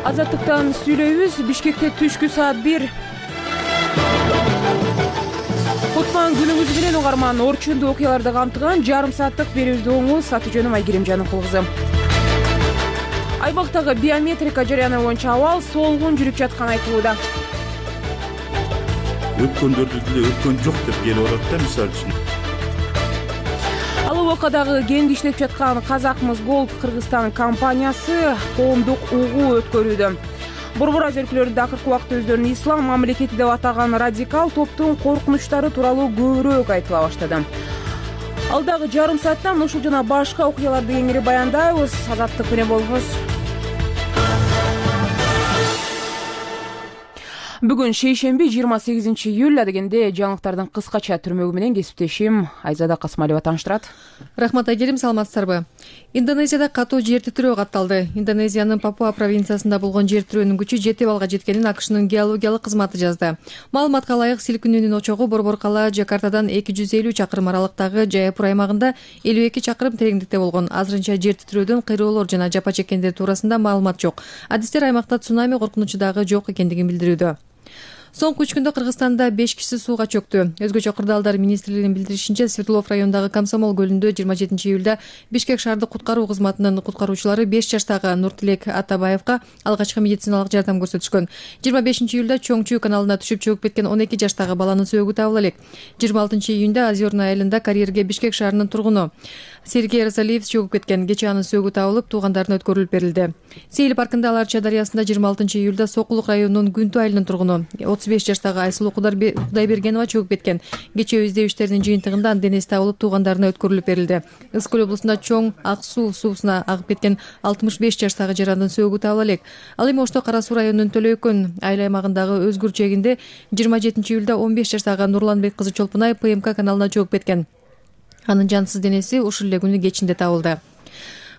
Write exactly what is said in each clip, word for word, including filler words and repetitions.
Азаттыктан сүйлөйбүз. Бишкекте түшкү саат бир. Кутман күнүңүз менен угарман. Орчундуу окуяларды камтыган жарым сааттык берүүбүздү оңуз. Аты жөнүм Айгерим Жаныкулкызы. Айбактагы биометрика жарыяны боюнча абал солгун жүрүп жатканы айтылууда. Өткөндөрдү деле өткөн жок деп келип атат да, мисалы үчүн. Ал убакадагы кеңди иштеп жаткан Казакмыс Голд Кыргызстан компаниясы коомдук угуу өткөрүүдө. Борбор өзөркүлөрүндө акыркы убакытта өздөрүн ислам мамлекети деп атаган радикал топтун коркунучтары тууралуу көбүрөөк айтыла баштады. Алдагы жарым саатта ушул жана башка окуяларды кеңири баяндайбыз. Азаттык менен болуңуз. Бүгүн шейшемби жыйырма сегизинчи июль дегенде жаңылыктардын кыскача түрмөгү менен кесиптешим Айзада Касмалева тааныштырат. Рахмат Айгерим, саламатсыздарбы? Индонезияда катуу жер титирөө катталды. Индонезиянын Папуа провинциясында болгон жер титирөөнүн күчү жети балга жеткенин АКШнын геологиялык кызматы жазды. Маалыматка ылайык, силкинүүнүн очогу борбор кала Жакартадан эки жүз элүү чакырым аралыктагы Жаяпур аймагында элүү эки чакырым тереңдикте болгон. Азырынча жер титирөөдөн кыйроолор жана жапа чеккендер туурасында маалымат жок. Адистер аймакта цунами коркунучу дагы жок экендигин билдирүүдө. Соңку үч күндө Кыргызстанда беш киши сууга чөктү. Өзгөчө кырдаалдар министрлигинин билдиришинче, Свердлов районундагы Комсомол көлүндө жыйырма жетинчи июлда Бишкек шаардык куткаруу кызматынын куткаруучулары беш жаштагы Нуртилек Атабаевга алгачкы медициналык жардам көрсөтүшкөн. жыйырма бешинчи июлда Чоңчу каналына түшүп чөгүп кеткен он эки жаштагы баланын сөөгү табыла элек. жыйырма алтынчы июнда Озерное айылында карьерге Бишкек шаарынын тургуну Сергей Розалиев чөгүп кеткен. Кечээ анын сөөгү табылып, туугандарына өткөрүлүп берилди. Сейил паркында Аларча дарыясында жыйырма алтынчы июлда Сокулук районунун Күнтү айылынын тургуну отуз беш жаштагы Айсулуу Кудайбергенова чөгүп кеткен. Кечээ издөө иштеринин жыйынтыгында анын денеси табылып, туугандарына өткөрүлүп берилди. Ысык көл облусунда Чоң Ак суу суусуна агып кеткен алтымыш беш жаштагы жарандын сөөгү табыла элек. Ал эми Ошто Кара суу районунун Төлөйкөн айыл аймагындагы Өзгүр чегинде жыйырма жетинчи июлда он беш жаштагы Нурланбек кызы Чолпунай ПМК каналына чөгүп кеткен. Анын жансыз денеси ушул эле күнү кечинде табылды.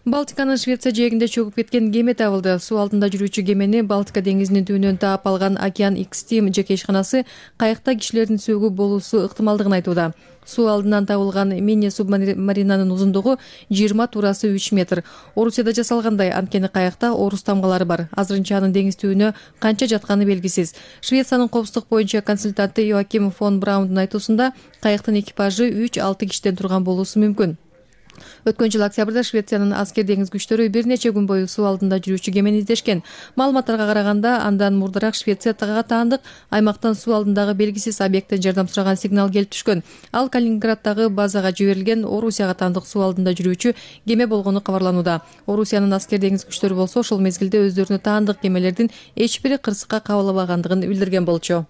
Балтиканын Швеция жээгинде чөгүп кеткен кеме табылды. Суу алдында жүрүүчү кемени Балтика деңизинин түбүнөн таап алган Океан X-Team жеке ишканасы кайыкта кишилердин сөөгү болуусу ыктымалдыгын айтууда. Суу алдынан табылган мини субмаринанын узундугу жыйырма, туурасы үч метр. Орусияда жасалгандай, анткени кайыкта орус тамгалары бар. Азырынча анын деңиз түбүнө канча жатканы белгисиз. Швециянын коопсуздук боюнча консультанты Йоаким фон Браундун айтуусунда, кайыктын экипажы үч алты кишиден турган болуусу мүмкүн. Өткөн жыл октябрда Швециянын аскер деңиз күчтөрү бир нече күн бою суу алдында жүрүүчү кемени издешкен. Маалыматтарга караганда, андан мурдараак Швецияга таандык аймактан суу алдындагы белгисиз объекттен жардам сураган сигнал келип түшкөн. Ал Калининграддагы базага жиберилген Орусияга таандык суу алдында жүрүүчү кеме болгону кабарланууда. Орусиянын аскер деңиз күчтөрү болсо ошол мезгилде өздөрүнө таандык кемелердин эч бири кырсыкка кабылбагандыгын билдирген болчу.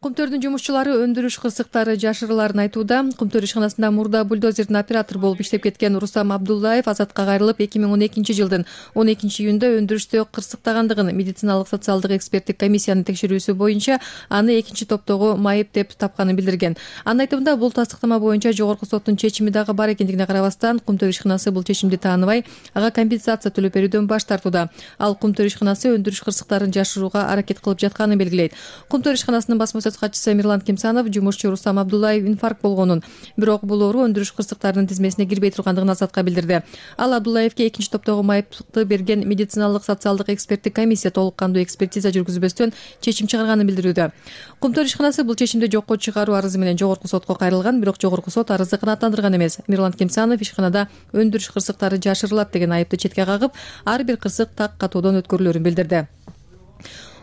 Кумтөрдүн жумушчулары өндүрүш кырсыктары жашырыларын айтууда. Кумтөр ишканасында мурда бульдозердин оператор болуп иштеп кеткен Рустам Абдуллаев азатка кайрылып, эки миң он экинчи жылдын он экинчи июнда өндүрүштө кырсыктагандыгын медициналык социалдык эксперттик комиссиянын текшерүүсү боюнча аны экинчи топтогу майып деп тапканын билдирген. Анын айтымында, бул тастыктама боюнча жогорку соттун чечими дагы бар экендигине карабастан, Кумтөр ишканасы бул чечимди тааныбай, ага компенсация төлөп берүүдөн баш тартууда. Ал Кумтөр ишканасы өндүрүш кырсыктарын жашырууга аракет кылып жатканын белгилейт. Кумтөр ишканасынын басма катчысы Мирлан Кимсанов жумушчу Рустам Абдуллаев инфаркт болгонун, бирок бул оору өндүрүш кырсыктарынын тизмесине кирбей тургандыгын Азатка билдирди. Ал Абдуллаевге экинчи топтогу майыпты берген медициналык социалдык эксперттик комиссия толук кандуу экспертиза жүргүзбөстөн чечим чыгарганын билдирүүдө. Кумтөр ишканасы бул чечимди жокко чыгаруу арызы менен жогорку сотко кайрылган, бирок жогорку сот арызды канааттандырган эмес. Мирлан Кимсанов ишканада өндүрүш кырсыктары жашырылат деген айыпты четке кагып, ар бир кырсык так катуудон өткөрүлөрүн билдирди.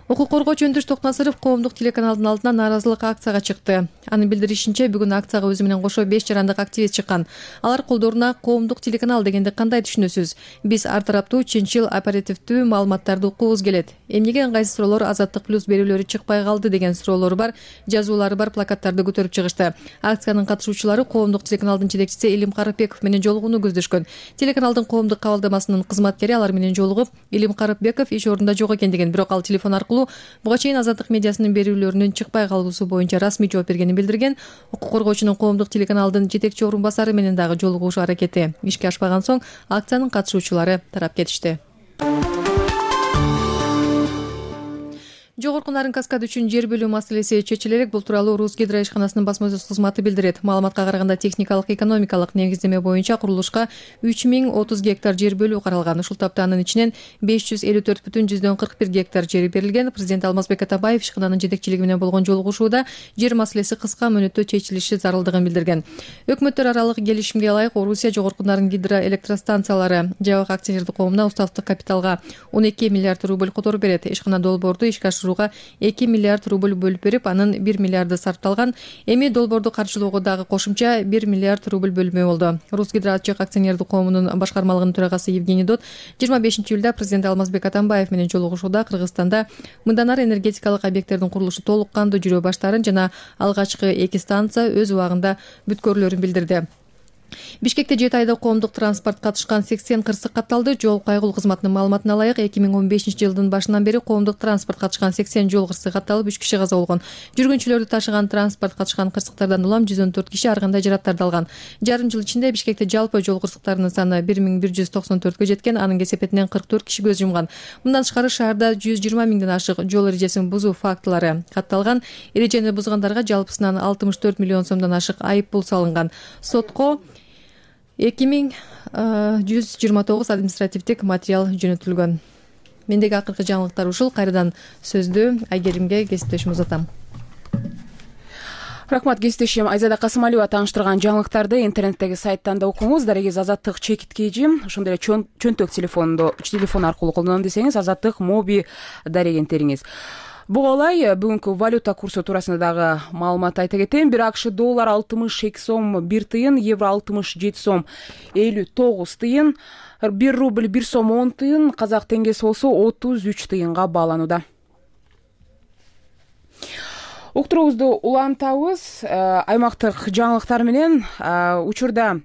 Укук коргоочу Өндүрүш Токнасыров коомдук телеканалдын алдына нааразылык акцияга чыкты. Анын билдиришинче, бүгүн акцияга өзү менен кошо беш жарандык активист чыккан. Алар колдоруна коомдук телеканал дегенди кандай түшүнөсүз? Биз ар тараптуу, чынчыл, оперативдүү маалыматтарды уккубуз келет. Эмнеге ыңгайсыз суроолор Азаттык плюс берүүлөрү чыкпай калды деген суроолору бар, жазуулары бар плакаттарды көтөрүп чыгышты. Акциянын катышуучулары коомдук телеканалдын жетекчиси Илим Карыпбеков менен жолугууну көздөшкөн. Телеканалдын коомдук кабылдамасынын кызматкери алар менен жолугуп, Илим Карыпбеков иш ордунда жок экендигин, бирок ал телефон аркылуу буга чейин Азаттык медиасынын берүүлөрүнүн чыкпай калуусу боюнча расмий жооп бергенин билдирген. Укук коргоочунун коомдук телеканалдын жетекчи орун басары менен дагы жолугушуу аракети ишке ашпаган соң, акциянын катышуучулары тарап кетишти. Жогорку Нарын каскады үчүн жер бөлүү маселеси чечиле элек. Бул тууралуу Русгидро ишканасынын басма сөз кызматы билдирет. Маалыматка караганда техникалык экономикалык негиздеме боюнча курулушка үч миң отуз гектар жер бөлүү каралган. Ушул тапта анын ичинен беш жүз элүү төрт бүтүн жүздөн кырк бир гектар жери берилген. Президент Алмазбек Атамбаев ишкананын жетекчилиги менен болгон жолугушууда жер маселеси кыска мөөнөттө чечилиши зарылдыгын билдирген. Өкмөттөр аралык келишимге ылайык Орусия Жогорку Нарын гидроэлектростанциялары жабык акционердик коомуна уставдык капиталга он эки миллиард рубль которуп берет. Ишкана долбоорду ишке ашырууга эки миллиард рубль бөлүп берип, анын бир миллиарды сарпталган. Эми долбоорду каржылоого дагы кошумча бир миллиард рубль бөлмө болду. Русгидро ачык акционердик коомунун башкармалыгынын төрагасы Евгений Дот жыйырма бешинчи июлда президент Алмазбек Атамбаев менен жолугушууда Кыргызстанда мындан ары энергетикалык объекттердин курулушу толук кандуу жүрө баштаарын жана алгачкы эки станция өз убагында бүткөрлөрүн билдирди. Бишкекте жети айда коомдук транспорт катышкан сексен кырсык катталды. Жол кайгылуу кызматынын маалыматына ылайык эки миң он бешинчи жылдын башынан бери коомдук транспорт катышкан сексен жол кырсык катталып, үч киши каза болгон. Жүргүнчүлөрдү ташыган транспорт катышкан кырсыктардан улам жүз он төрт киши ар кандай жараттарды алган. Жарым жыл ичинде Бишкекте жалпы жол кырсыктарынын саны бир миң бир жүз токсон төрткө жеткен. Анын кесепетинен кырк төрт киши көз жумган. Мындан тышкары шаарда жүз жыйырма миңден ашык жол эрежесин бузуу фактылары катталган. Эрежени бузгандарга жалпысынан алтымыш төрт миллион сомдон ашык айып пул салынган. Сотко эки миң жүз жыйырма тогуз административдик материал жөнөтүлгөн. Мендеги акыркы жаңылыктар ушул. Кайрадан сөздү Айгеримге, кесиптешим узатам. Рахмат кесиптешим Айзада Касымалиева тааныштырган жаңылыктарды интернеттеги сайттан да окуңуз. Дарегиз Азаттык чекиткейжи ошондой эле чөнтөк телефонду телефон аркылуу колдоном десеңиз Азаттык моби дарегентериңиз. Буга ылай бүгүнкү валюта курсу туурасында дагы маалымат айта кетейин. Бир акш доллар алтымыш эки сом бир тыйын, евро алтымыш жети сом элүү тогуз тыйын, бир рубль бир сом он тыйын, казак теңгеси болсо отуз үч тыйынга бааланууда. Уктуруубузду улантабыз. Аймактык жаңылыктар менен учурда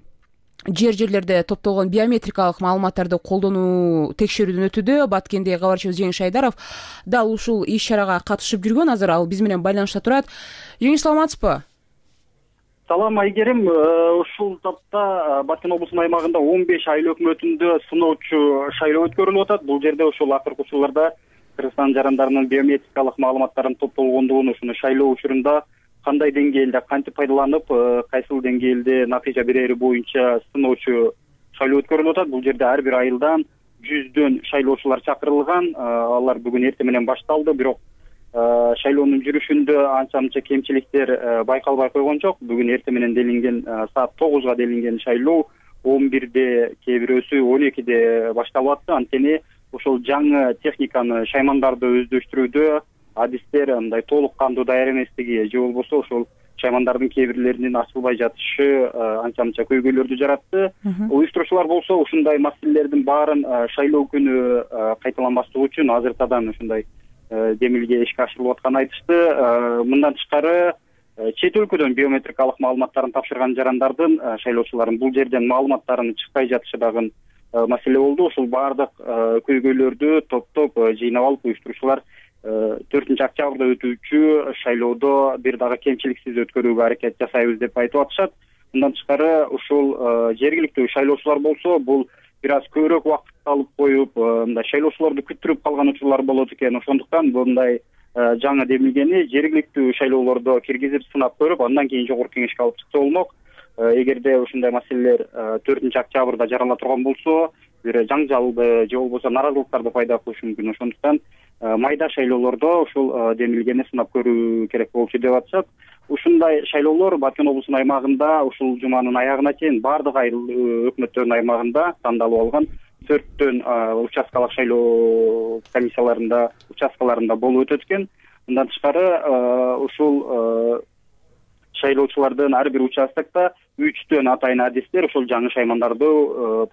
жер жерлерде топтолгон биометрикалык маалыматтарды колдонуу текшерүүдөн өтүүдө. Баткенде кабарчыбыз Жеңиш Айдаров дал ушул иш-чарага катышып жүргөн. Азыр ал биз менен байланышта турат. Жеңиш, саламатсызбы? Салам Айгерим. Ушул тапта Баткен облусунун аймагында он беш айыл өкмөтүндө сыноочу шайлоо өткөрүлүп атат. Бул жерде ошол акыркы учурларда Кыргызстан жарандарынын биометрикалык маалыматтарын топтолгондугун, ушуну шайлоо учурунда кандай деңгээлде кантип пайдаланып, кайсыл деңгээлде натыйжа берери боюнча сыноочу шайлоо өткөрүлүп атат. Бул жерде ар бир айылдан жүздөн шайлоочулар чакырылган. Алар бүгүн эртең менен башталды, бирок шайлоонун жүрүшүндө анча-мынча кемчиликтер байкалбай койгон жок. Бүгүн эртең менен делинген саат тогузга делинген шайлоо он бирде, кээ бирөөсү он экиде башталып атты. Анткени ошол жаңы техниканы, шаймандарды өздөштүрүүдө адистер мындай толук кандуу даяр эместиги же болбосо ошол шаймандардын кээ бирлеринин ачылбай жатышы анча-мынча көйгөйлөрдү жаратты. Уюштуруучулар болсо ушундай маселелердин баарын шайлоо күнү кайталанбаслыгы үчүн азыртадан ушундай демилге ишке ашырылып атканын айтышты. Мындан тышкары чет өлкөдөн биометрикалык маалыматтарын тапшырган жарандардын, шайлоочулардын бул жерден маалыматтарынын чыкпай жатышы дагы маселе болду. Ушул баардык көйгөйлөрдү топтоп жыйнап алып уюштуруучулар төртүнчү октябрда өтүүчү шайлоодо бир дагы кемчиликсиз өткөрүүгө аракет жасайбыз деп айтып атышат. Мындан тышкары ушул жергиликтүү шайлоочулар болсо бул бир аз көбүрөөк убакыт алып коюп, мындай шайлоочуларды күттүрүп калган учурлар болот экен. Ошондуктан мындай жаңы демилгени жергиликтүү шайлоолордо киргизип сынап көрүп, андан кийин жогорку кеңешке алып чыкса болмок. Эгерде ушундай маселелер төртүнчү октябрда жарала турган болсо, бир жаңжалды же болбосо наразылыктарды пайда кылышы мүмкүн. Ошондуктан майда шайлоолордо ушул демилгени сынап көрүү керек болчу деп атышат. Ушундай шайлоолор Баткен облусунун аймагында ушул жуманын аягына чейин баардык айыл өкмөттөрүнүн аймагында тандалып алган төрттөн участкалык шайлоо комиссияларында, участкаларында болуп өтөт экен. Мындан тышкары ушул шайлоочулардын ар бир участокто үчтөн атайын адистер ошол жаңы шаймандарды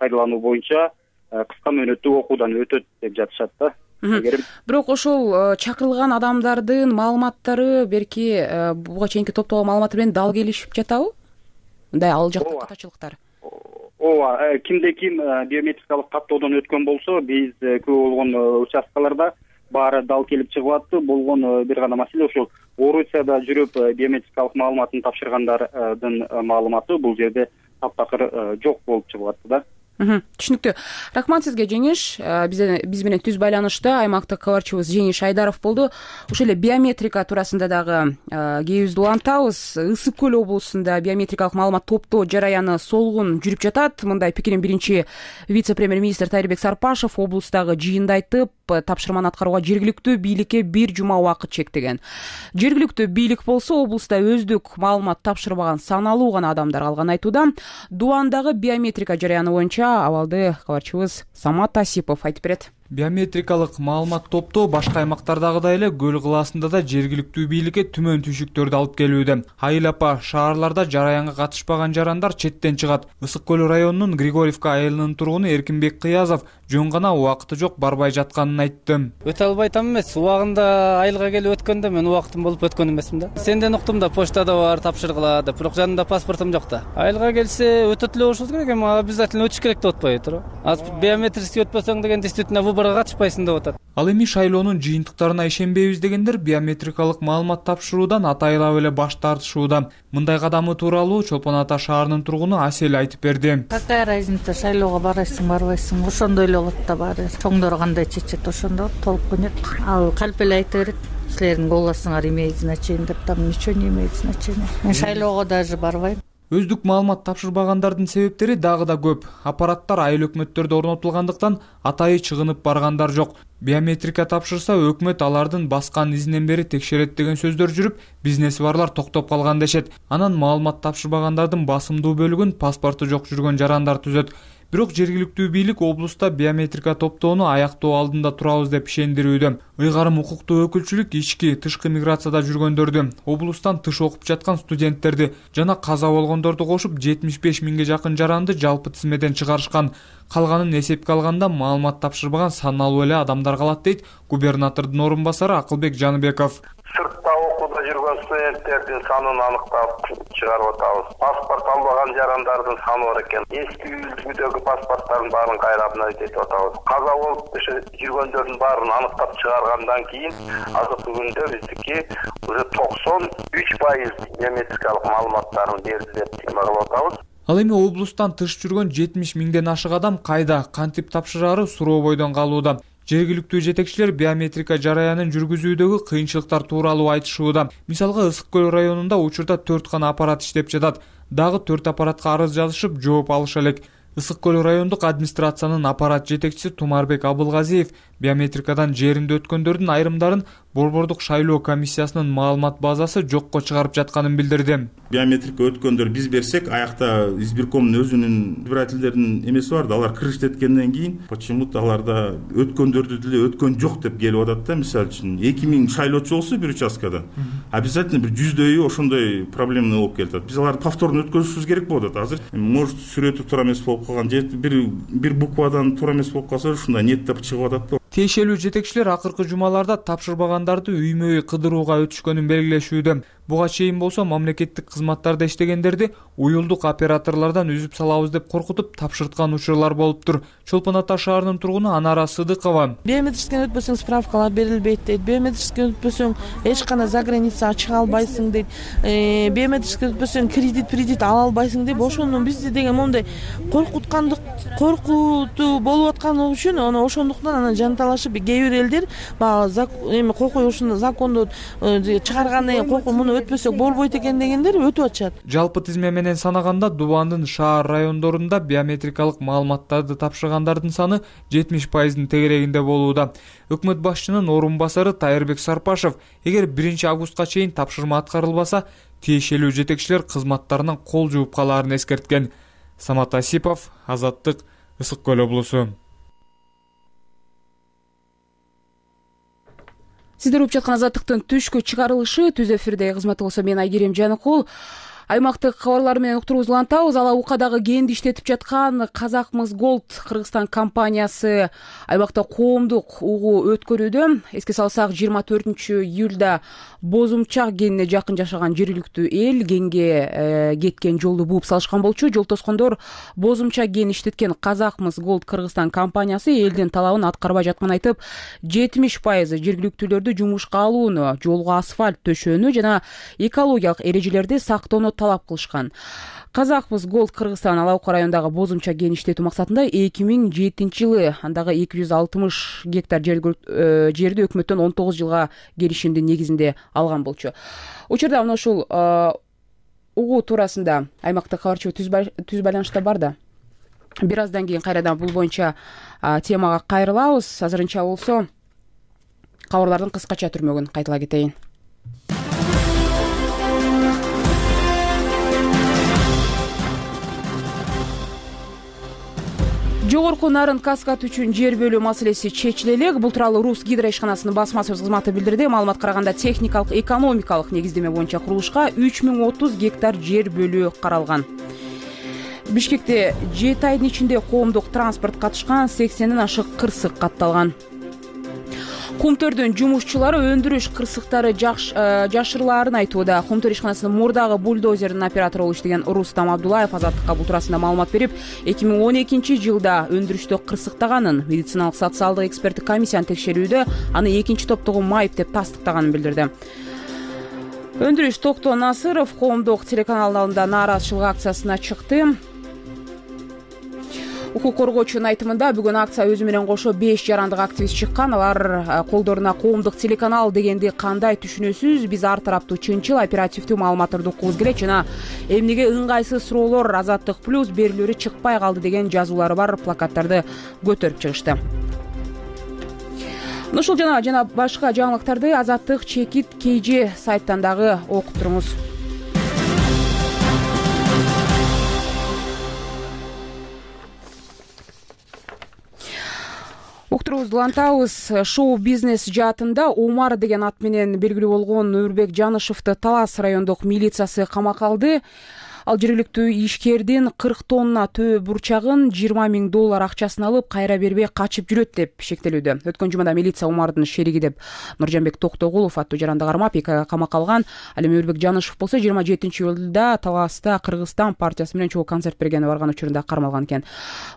пайдалануу боюнча кыска мөөнөттүү окуудан өтөт деп жатышат да. Бирок ошол чакырылган адамдардын маалыматтары берки буга чейинки топтогон маалыматтар менен дал келишип жатабы? Мындай ал жакта катачылыктар. Ооба, кимде ким биометрикалык каттоодон өткөн болсо, биз көп болгон участкаларда баары дал келип чыгып атты. Болгон бир гана маселе ошол Орусияда жүрүп биометрикалык маалыматын тапшыргандардын маалыматы бул жерде таптакыр жок болуп чыгып атты да. Түшүнүктүү. Рахмат сизге, Жеңиш. Биз менен түз байланышта аймактык кабарчыбыз Жеңиш Айдаров болду. Ошол эле биометрика туурасында дагы кээбизди улантабыз. Ысык көл облусунда биометрикалык маалымат топтоо жараяны солгун жүрүп жатат. Мындай пикирин биринчи вице-премьер-министр Тайырбек Сарпашев облустагы жыйында айтып, тапшырманы аткарууга жергиликтүү бийликке бир жума убакыт чектеген. Жергиликтүү бийлик болсо облуста өздүк маалымат тапшырбаган саналуу гана адамдар калганын айтууда. Дубандагы биометрика жараяны боюнча абалды кабарчыбыз Самат Асипов айтып берет. Биометрикалык маалымат топтоо башка аймактардагыдай эле көл кылаасында да жергиликтүү бийликке түмөн түйшүктөрдү алып келүүдө. Айыл апа шаарларда жараянга катышпаган жарандар четтен чыгат. Ысык көл районунун Григорьевка айылынын тургуну Эркинбек Кыязов жөн гана убакыты жок барбай жатканын айтты. Өтө албай атам эмес, убагында айылга келип өткөндө мен убактым болуп өткөн эмесмин да. Сенден уктум да, почтада бар, тапшыргыла деп, бирок жанымда паспортум жок да. Айылга келсе өтөт эле болушубуз керек, эми обязательно өтүш керек деп атпайбы? Азыр биометрический өтпөсөң деген действительно выборго катышпайсың деп атат. Ал эми шайлоонун жыйынтыктарына ишенбейбиз дегендер биометрикалык маалымат тапшыруудан атайылап эле баш тартышууда. Мындай кадамы тууралуу Чолпон Ата шаарынын тургуну Асель айтып берди. Какая разница, шайлоого барасың, барбайсың, ошондой эле болот да баары. Чоңдор кандай чечет, ошондо толуп көнөт. Ал калп эле айта берет. Силердин голосуңар имеет значение деп, там ничего не имеет значения. Мен шайлоого даже барбайм. Өздүк маалымат тапшырбагандардын себептери дагы да көп. Аппараттар айыл өкмөттөрдө орнотулгандыктан атайы чыгынып баргандар жок. Биометрика тапшырса өкмөт алардын баскан изинен бери текшерет деген сөздөр жүрүп, бизнеси барлар токтоп калган дешет. Анан маалымат тапшырбагандардын басымдуу бөлүгүн паспорту жок жүргөн жарандар түзөт. Бирок жергиликтүү бийлик облуста биометрика топтоону аяктоо алдында турабыз деп ишендирүүдө. Ыйгарым укуктуу өкүлчүлүк ички, тышкы миграцияда жүргөндөрдү, облустан тыш окуп жаткан студенттерди жана каза болгондорду кошуп жетимиш беш миңге жакын жаранды жалпы тизмеден чыгарышкан. Калганын эсепке алганда маалымат тапшырбаган саналуу эле адамдар калат дейт губернатордун орун басары Акылбек Жаныбеков. Сыртта окууда жүргөн студенттердин санын аныктап чыгарып атабыз. Паспорт албаган жарандардын саны бар экен. Эски үлгүдөгү паспорттардын баарын кайра обновить атабыз. Каза болуп жүргөндөрдүн баарын аныктап чыгаргандан кийин азыркы күндө биздики уже токсон үч пайыз биометрикалык маалыматтарын берди деп эме атабыз. Ал эми облустан тыш жүргөн жетимиш миңден ашык адам кайда, кантип тапшырары суроо бойдон калууда. Жергиликтүү жетекчилер биометрика жараянын жүргүзүүдөгү кыйынчылыктар тууралуу айтышууда. Мисалга Ысык көл районунда учурда төрт гана аппарат иштеп жатат. Дагы төрт аппаратка арыз жазышып, жооп алыша элек. Ысык көл райондук администрациянын аппарат жетекчиси Тумарбек Абылгазиев биометрикадан жеринде өткөндөрдүн айрымдарын Борбордук шайлоо комиссиясынын маалымат базасы жокко чыгарып жатканын билдирди. Биометрика өткөндөр биз берсек, аякта избиркомдун өзүнүн избирательдердин эмеси бар да, алар кыргыз эткенден кийин почему-то аларда өткөндөрдү деле өткөн жок деп келип атат да. Мисалы үчүн эки миң шайлоочу болсо бир участкада обязательно бир жүздөйү ошондой проблема болуп келатат. Биз аларды повторно өткөзүшүбүз керек болуп атат. Азыр может сүрөтү туура эмес болуп калган же бир бир буквадан туура эмес болуп калса ушундай неттеп чыгып атат да. Тиешелүү жетекчилер акыркы жумаларда тапшырбагандарды үймө-үй кыдырууга өтүшкөнүн белгилешүүдө. Буга чейин болсо мамлекеттик кызматтарда иштегендерди уюлдук операторлордон үзүп салабыз деп коркутуп тапшырткан учурлар болуптур. Чолпон Ата шаарынын тургуну Анара Сыдыкова. Биометрический өтпөсөң справкалар берилбейт дейт. Биометрический өтпөсөң эч кандай за граница чыга албайсың дейт. Биометрический өтпөсөң кредит, кредит ала албайсың деп ошону бизди деген мондай коркуткандык, коркутуу болуп атканы үчүн аны ошондуктан анан жанталашып кээ бир элдер баягы эми кокой ушуну законду чыгаргандан кийин кокой муну өтпөсөк болбойт экен дегендер өтүп атышат. Жалпы тизме менен санаганда Дубандын шаар райондорунда биометрикалык маалыматтарды тапшыргандардын саны жетимиш пайыздын тегерегинде болууда. Өкмөт башчынын орун басары Тайырбек Сарпашев эгер биринчи августка чейин тапшырма аткарылбаса, тиешелүү жетекчилер кызматтарынан кол жууп калаарын эскерткен. Самат Асипов, Азаттык, Ысык көл облусу. Сиздер угуп жаткан Азаттыктын түшкү чыгарылышы түз эфирде кызматы болсо мен Айгерим Жаныкул. Аймактык кабарлар менен уктуруубузду улантабыз. Ала укадагы кенди иштетип жаткан Казакмыс Голд Кыргызстан компаниясы аймакта коомдук угуу өткөрүүдө. Эске салсак, жыйырма төртүнчү июлда Бозумчак кенине жакын жашаган жергиликтүү эл кенге э, кеткен жолду бууп салышкан болчу. Жол тоскондор Бозумчак кенин иштеткен Казакмыс Голд Кыргызстан компаниясы элдин талабын аткарбай жатканын айтып, жетимиш пайызы жергиликтүүлөрдү жумушка алууну, жолго асфальт төшөөнү жана экологиялык эрежелерди сактоону талап кылышкан. Казакмыс Голд Кыргызстан Ала Ока районундагы бозумча кен иштетүү максатында эки миң жетинчи жылы андагы эки жүз алтымыш гектар жерди өкмөттөн он тогуз жылга келишимдин негизинде алган болчу. Учурда мына ушул угуу туурасында аймактык кабарчы түз байланышта бар да. Бир аздан кийин кайрадан бул боюнча темага кайрылабыз. Азырынча болсо кабарлардын кыскача түрмөгүн кайтала кетейин. Жогорку нарын каскад үчүн жер бөлүү маселеси чечиле элек. Бул тууралуу Рус гидро ишканасынын басма сөз кызматы билдирди. Маалымат караганда техникалык экономикалык негиздеме боюнча курулушка үч миң отуз гектар жер бөлүү каралган. Бишкекте жети айдын ичинде коомдук транспорт катышкан сексенден ашык кырсык катталган. Кумтөрдүн жумушчулары өндүрүш кырсыктары жашырылаарын айтууда. Кумтөр ишканасынын мурдагы бульдозердин оператору болуп иштеген Рустам Абдулаев Азаттыкка бул туурасында маалымат берип, эки миң он экинчи жылда өндүрүштө кырсыктаганын, медициналык социалдык эксперттик комиссиянын текшерүүдө аны экинчи топтогу майып деп тастыктаганын билдирди. Өндүрүш Токто Насыров коомдук телеканалдын алдында нааразычылык акциясына чыкты. Укук коргоочунун айтымында бүгүн акция өзү менен кошо беш жарандык активист чыккан. Алар колдоруна коомдук телеканал дегенди кандай түшүнөсүз? Биз ар тараптуу чынчыл, оперативдүү маалыматтарды уккубуз келет жана эмнеге ыңгайсыз суроолор Азаттык плюс берилүүрү чыкпай калды деген жазуулары бар плакаттарды көтөрүп чыгышты. Ушул жана жана башка жаңылыктарды Азаттык чекит kg сайттан дагы окуп туруңуз. Уктурубузду улантабыз. Шоу-бизнес жаатында Омар деген ат менен белгилүү болгон Нурбек Жанышевди Талас райондук милициясы камакка алды. Ал жергиликтүү ишкердин кырк тонна төө бурчагын жыйырма миң доллар акчасын алып кайра бербей качып жүрөт деп шектелүүдө. Өткөн жумада милиция Омардын шериги деп Нуржанбек Токтогулов аттуу жаранды кармап эки айга камакка алган. Ал эми Нурбек Жанышев болсо жыйырма жетинчи июлда Таласта Кыргызстан партиясы менен чогуу концерт бергени барган учурунда кармалган экен.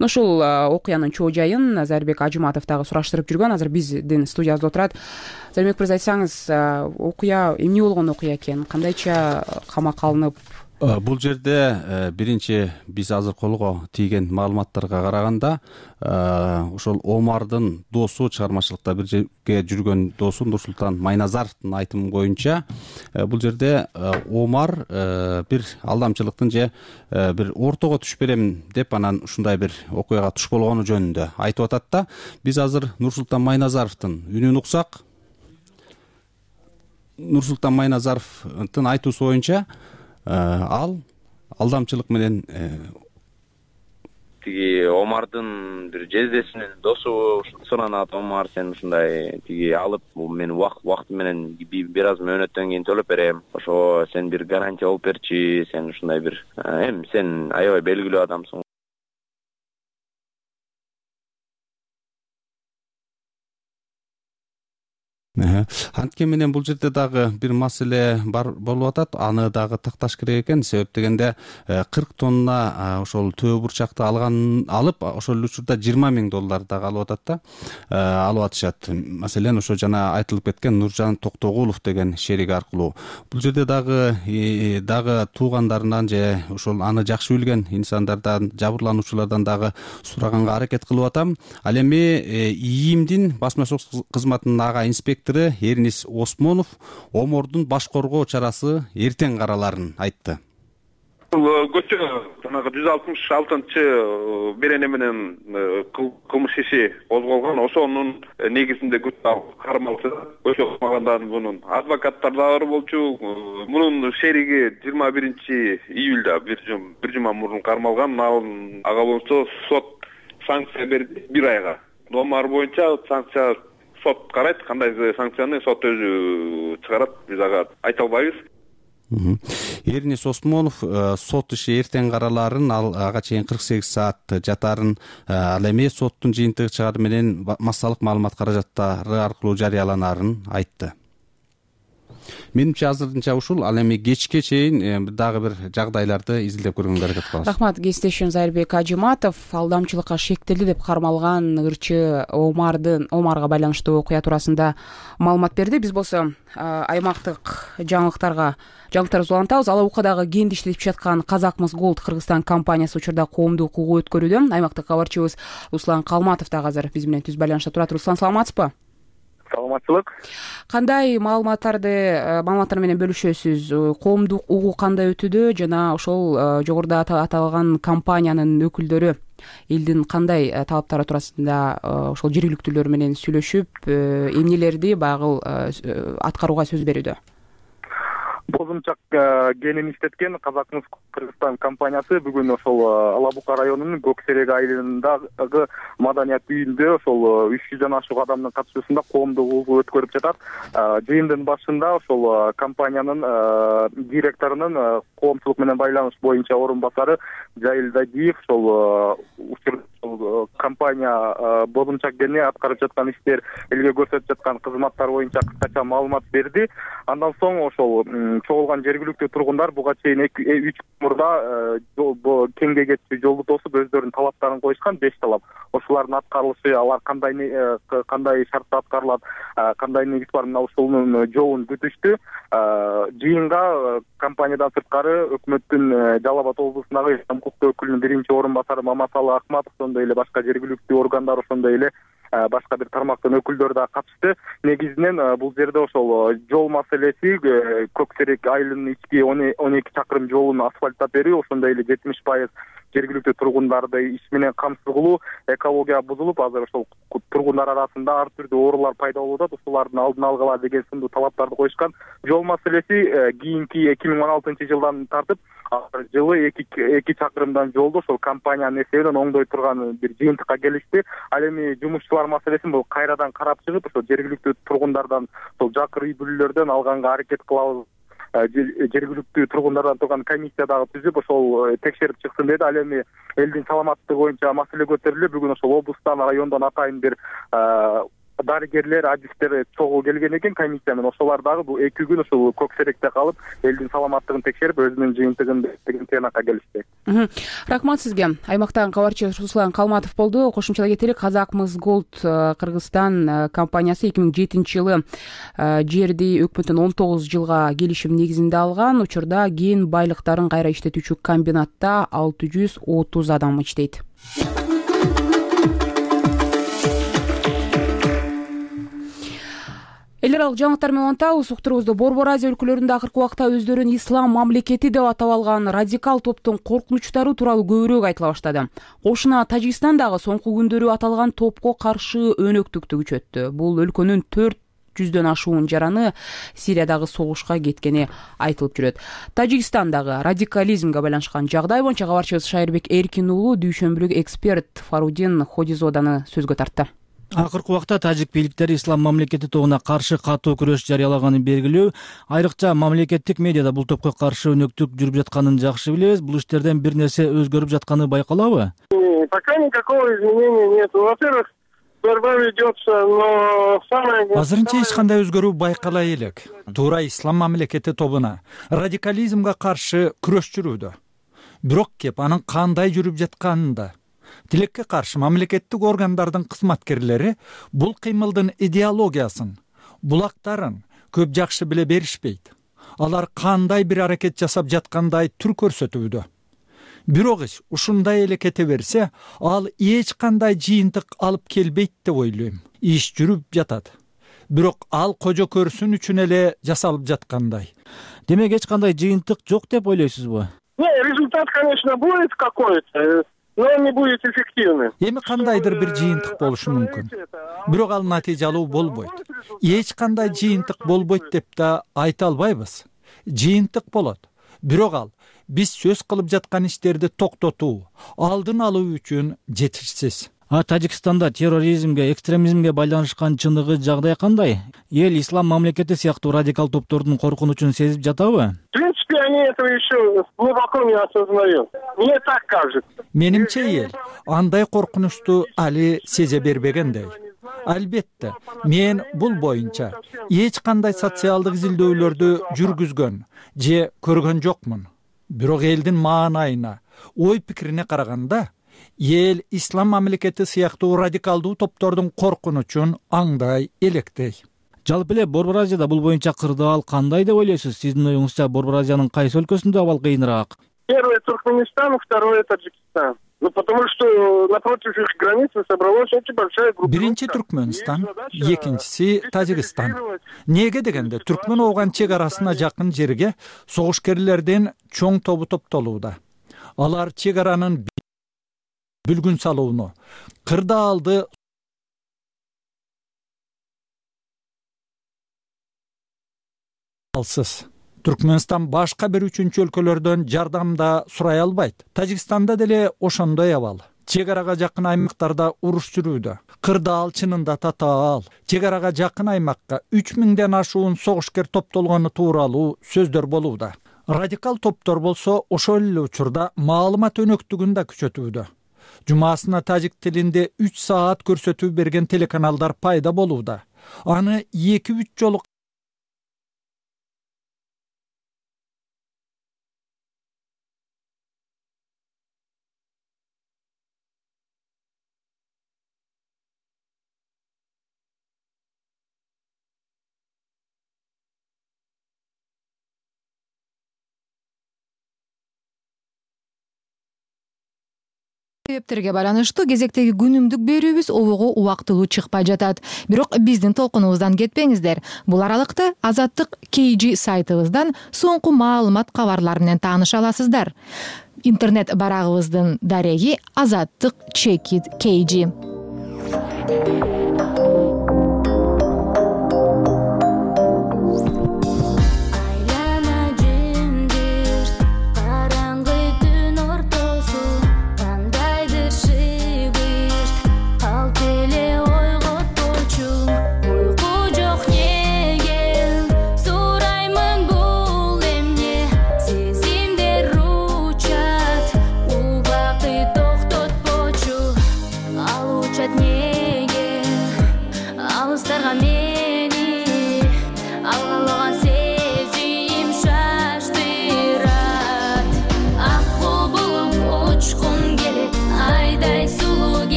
Ушул окуянын чоо жайын Зарбек Ажыматов дагы сураштырып жүргөн. Азыр биздин студиябызда отурат. Зарбек мырза, айтсаңыз, окуя эмне болгон окуя экен? Кандайча камакка алынып? Бул жерде биринчи биз азыр колго тийген маалыматтарга караганда ошол Омардын досу, чыгармачылыкта бир жерге жүргөн досу Нурсултан Майназаровдун айтымы боюнча бул жерде Омар бир алдамчылыктын же бир ортого түшүп берем деп анан ушундай бир окуяга туш болгону жөнүндө айтып атат да. Биз азыр Нурсултан Майназаровдун үнүн уксак. Нурсултан Майназаровдун айтуусу боюнча ал алдамчылык менен тиги Омардын бир жездесинин досу суранат: Омар, сен ушундай тиги алып мен убакыт менен бир аз мөөнөттөн кийин төлөп берем, ошо сен бир гарантия болуп берчи, сен ушундай бир эми сен аябай белгилүү адамсың. Анткени менен бул жерде дагы бир маселе бар болуп атат. Аны дагы такташ керек экен. Себеп дегенде кырк тонна ошол төө бурчакты алган алып, ошол учурда жыйырма миң доллар дагы алып атат да. Алып атышат. Маселен, ошо жана айтылып кеткен Нуржан Токтогулов деген шерик аркылуу. Бул жерде дагы дагы туугандарынан же ошол аны жакшы билген инсандардан, жабырлануучулардан дагы сураганга аракет кылып атам. Ал эми ИИМдин басма сөз кызматынын ага инспектору Эрнис Осмонов Омордун баш коргоо чарасы эртең караларын айтты. Бул көчө жанагы жүз алтымыш алтынчы берене менен кылмыш иши козголгон. Ошонун негизинде күч алып кармалды. Көчө кылмагандардын мунун адвокаттары да бар болчу. Мунун шериги жыйырма биринчи июлда бир жума мурун кармалган. Ага болсо сот санкция берди бир айга. Омар боюнча санкция сот карайт, кандай санкцияны сот өзү чыгарат, биз ага айта албайбыз. Эрнис Осмонов сот иши эртең караларын, ал ага чейин кырк сегиз саат жатарын, ал эми соттун жыйынтыгы чыгары менен массалык маалымат каражаттары аркылуу жарыяланарын айтты. Менимче азырынча ушул. Ал эми кечке чейин дагы бир жагдайларды изилдеп көргөнгө аракет кылабыз. Рахмат. Кесиптешим Зайырбек Ажыматов алдамчылыкка шектелди деп кармалган ырчы Омардын Омарга байланыштуу окуя туурасында маалымат берди. Биз болсо аймактык жаңылыктарга жаңылыктарды улантабыз. Ала укадагы кенди иштетип жаткан Казакмыс Голд Кыргызстан компаниясы учурда коомдук угуу өткөрүүдө. Аймактык кабарчыбыз Руслан Калматов дагы азыр биз менен түз байланышта турат. Руслан, саламатсызбы? Саламатчылык. Кандай маалыматтарды маалыматтар менен бөлүшөсүз? Коомдук угуу кандай өтүүдө жана ошол жогоруда аталган компаниянын өкүлдөрү элдин кандай талаптары туурасында ошол жергиликтүүлөр менен сүйлөшүп, эмнелерди багыл аткарууга сөз берүүдө? Бозумчак кенин иштеткен Казакмыс Кыргызстан компаниясы бүгүн ошол Ала Бука районунун Көксерек айылындагы маданият үйүндө ошол үч жүздөн ашык адамдын катышуусунда коомдук угуу өткөрүп жатат. Жыйындын башында ошол компаниянын директорунун коомчулук менен байланыш боюнча орун басары Жайыл Дадиев ошол учурда компания Бозумчак кени аткарып жаткан иштер, элге көрсөтүп жаткан кызматтар боюнча кыскача маалымат берди. Андан соң ошол чогулган жергиликтүү тургундар буга чейин үч мурда кеңге кетчү жолду тосуп өздөрүнүн талаптарын коюшкан, беш талап. Ошолардын аткарылышы, алар кандай кандай шартта аткарылат, кандай негиз бар, мына ошонун жообун күтүштү. Жыйынга компаниядан сырткары өкмөттүн Жалал Абад облусундагы ислам укуктуу өкүлүнүн биринчи орун басары Мамасалы Акматов, ошондой эле башка жергиликтүү органдар, ошондой эле башка бир тармактын өкүлдөрү да катышты. Негизинен бул жерде ошол жол маселеси, Көксерек айылынын ички он эки чакырым жолун асфальттап берүү, ошондой эле жетимиш пайыз жергиликтүү тургундарды иш менен камсыз кылуу, экология бузулуп, азыр ошол тургундар арасында ар түрдүү оорулар пайда болуп атат, ошолардын алдын алгыла деген сындуу талаптарды коюшкан. Жол маселеси кийинки эки миң он алтынчы жылдан тартып жылы эки чакырымдан жолду ошол компаниянын эсебинен оңдой турган бир жыйынтыкка келишти. Ал эми жумушчулар маселесин бул кайрадан карап чыгып, ошол жергиликтүү тургундардан, ошол жакыр үй бүлөлөрдөн алганга аракет кылабыз. Жергиликтүү тургундардан турган комиссия дагы түзүп, ошол текшерип чыксын деди. Ал эми элдин саламаттыгы боюнча маселе көтөрүлүп, бүгүн ошол облустан, райондон атайын бир дарыгерлер, адистер чогуу келген экен комиссия менен. Ошолар дагы бул эки күн ошол Көксеректе калып, элдин саламаттыгын текшерип, өзүнүн жыйынтыгын деген тыянакка келишти. Рахмат сизге. Аймактагы кабарчы Руслан Калматов болду. Кошумчалай кетелик, Казакмыс Голд Кыргызстан компаниясы эки миң жетинчи жылы жерди өкмөттөн он тогуз жылга келишим негизинде алган. Учурда кен байлыктарын кайра иштетүүчү комбинатта алты жүз отуз адам иштейт. Эл аралык жаңылыктар менен улантабыз. Уктурубузду Борбор Азия өлкөлөрүндө акыркы убакта өздөрүн ислам мамлекети деп атап алган радикал топтун коркунучтары тууралуу көбүрөөк айтыла баштады. Кошуна Тажикстан дагы соңку күндөрү аталган топко каршы өнөктүктү күчөттү. Бул өлкөнүн төрт жүздөн ашуун жараны Сириядагы согушка кеткени айтылып жүрөт. Тажикстандагы радикализмге байланышкан жагдай боюнча кабарчыбыз Шайырбек Эркин уулу дүйшөмбүлүк эксперт Фарудин Ходизоданы сөзгө тартты. Акыркы убакта тажик бийликтери ислам мамлекети тобуна каршы катуу күрөш жарыялаганын белгилөө, айрыкча мамлекеттик медиада бул топко каршы өнөктүк жүрүп жатканын жакшы билебиз. Бул иштерден бир нерсе өзгөрүп жатканы байкалабы? Пока никакого изменения нет. Во-первых, борьба ведется, но самое... Азырынча эч кандай өзгөрүү байкалай элек. Туура ислам мамлекети тобуна радикализмге каршы күрөш жүрүүдө. Бирок кеп анын кандай жүрүп жатканын да, тилекке каршы мамлекеттик органдардын кызматкерлери бул кыймылдын идеологиясын, булактарын көп жакшы биле беришпейт. Алар кандай бир аракет жасап жаткандай түр көрсөтүүдө. Бирок иш ушундай эле кете берсе, ал эч кандай жыйынтык алып келбейт деп ойлойм. Иш жүрүп жатат. Бирок ал кожо көрсүн үчүн эле жасалып жаткандай. Демек эч кандай жыйынтык жок деп ойлойсузбу? Не, результат, конечно, будет какой-то, но он не будет эффективным. Эми кандайдыр бир жыйынтык болушу мүмкүн. Бирок ал натыйжалуу болбойт. Эч кандай жыйынтык болбойт деп да айта албайбыз. Жыйынтык болот. Бирок ал биз сөз кылып жаткан иштерди токтотуу, алдын алуу үчүн жетишсиз. А Тажикстанда терроризмге, экстремизмге байланышкан чындыгы жагдай кандай? Эл ислам мамлекети сыяктуу радикал топтордун коркунучун сезип жатабы? В принципе, они этого еще глубоко не осознают. Мне так кажется. Менимче эл андай коркунучту али сезе бербегендей. Албетте, мен бул боюнча эч кандай социалдык изилдөөлөрдү жүргүзгөн же көргөн жокмун. Бирок элдин маанайына, ой пикирине караганда, эл ислам мамлекети сыяктуу радикалдуу топтордун коркунучун аңдай электей. Жалпы эле Борбор Азияда бул боюнча кырдаал кандай деп ойлойсуз? Сиздин оюңузча Борбор Азиянын кайсы өлкөсүндө абал кыйыныраак? Первый Туркменистан, второй Таджикистан. Ну, потому что напротив их границы собралась очень большая группа. Биринчи Туркменстан, экинчиси Тажикстан. Неге дегенде, түркмөн ооган чек арасына жакын жерге согушкерлердин чоң тобу топтолууда. Алар чек аранын бүлгүн салууну, кырдаалды алсыз. Түркменстан башка бир үчүнчү өлкөлөрдөн жардам да сурай албайт. Тажикстанда деле ошондой абал. Чек арага жакын аймактарда уруш жүрүүдө. Кырдаал чынында татаал. Чек арага жакын аймакка үч миңден ашуун согушкер топтолгону тууралуу сөздөр болууда. Радикал топтор болсо ошол эле учурда маалымат өнөктүгүн да күчөтүүдө. Жумасына тажик тилинде үч саат көрсөтүү берген телеканалдар пайда болууда. Аны эки үч жолу себептерге байланыштуу кезектеги күнүмдүк берүүбүз обого убактылуу чыкпай жатат. Бирок биздин толкунубуздан кетпеңиздер. Бул аралыкта Азаттык кей джи сайтыбыздан соңку маалымат кабарлар менен тааныша аласыздар. Интернет барагыбыздын дареги Азаттык чекит кей джи.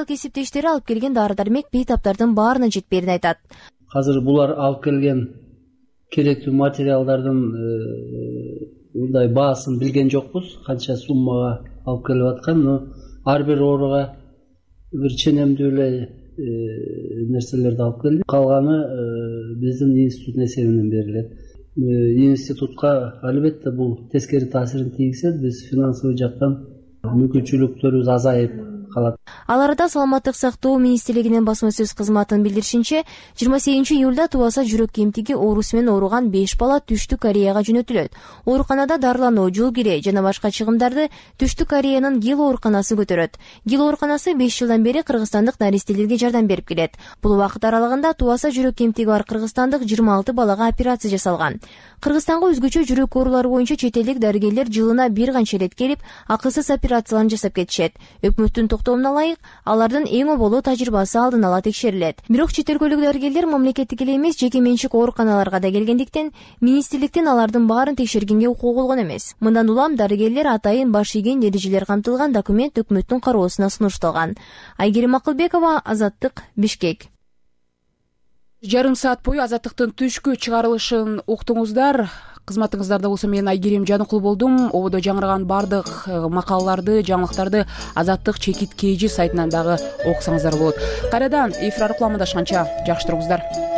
Кесиптештери алып келген дары-дармек бейтаптардын баарына жетпээрин айтат. Азыр булар алып келген керектүү материалдардын мындай баасын билген жокпуз, канча суммага алып келип аткан, но ар бир ооруга бир ченемдүү эле нерселерди алып келди. Калганы биздин институттун эсебинен берилет. Институтка албетте бул тескери таасирин тийгизет. Биз финансовый жактан мүмкүнчүлүктөрүбүз азайып калат. Ал арада Саламаттык сактоо министрлигинин басма сөз кызматынын билдиришинче, жыйырма сегизинчи июлда Туаса жүрөк кемтиги оорусу менен ооруган беш бала Түштүк Кореяга жөнөтүлөт. Ооруканада дарылануу, жол кире жана башка чыгымдарды Түштүк Кореянын Гил ооруканасы көтөрөт. Гил ооруканасы беш жылдан бери кыргызстандык наристелерге жардам берип келет. Бул убакыт аралыгында Туаса жүрөк кемтиги бар кыргызстандык жыйырма алты балага операция жасалган. Кыргызстанга өзгөчө жүрөк оорулары боюнча чет элдик дарыгерлер жылына бир канча ирет келип, акысыз операцияларын жасап кетишет. Өкмөттүн токтоомуна ылайык алардын эң оболу тажрыйбасы алдын ала текшерилет. Бирок чет өлкөлүк дарыгерлер мамлекеттик эле эмес жеке менчик ооруканаларга да келгендиктен министрликтин алардын баарын текшергенге укугу болгон эмес. Мындан улам дарыгерлер атайын баш ийген эрежелер камтылган документ өкмөттүн кароосуна сунушталган. Айгерим Акылбекова, Азаттык, Бишкек. Жарым саат бою Азаттыктын түшкү чыгарылышын уктуңуздар. Кызматыңыздарда болсо мен Айгерим Жаныкул болдум. Ободо жаңырган бардык макалаларды, жаңылыктарды Азаттык чекит кей жи сайтынан дагы окусаңыздар болот. Кайрадан эфир аркылуу амандашканча жакшы туруңуздар.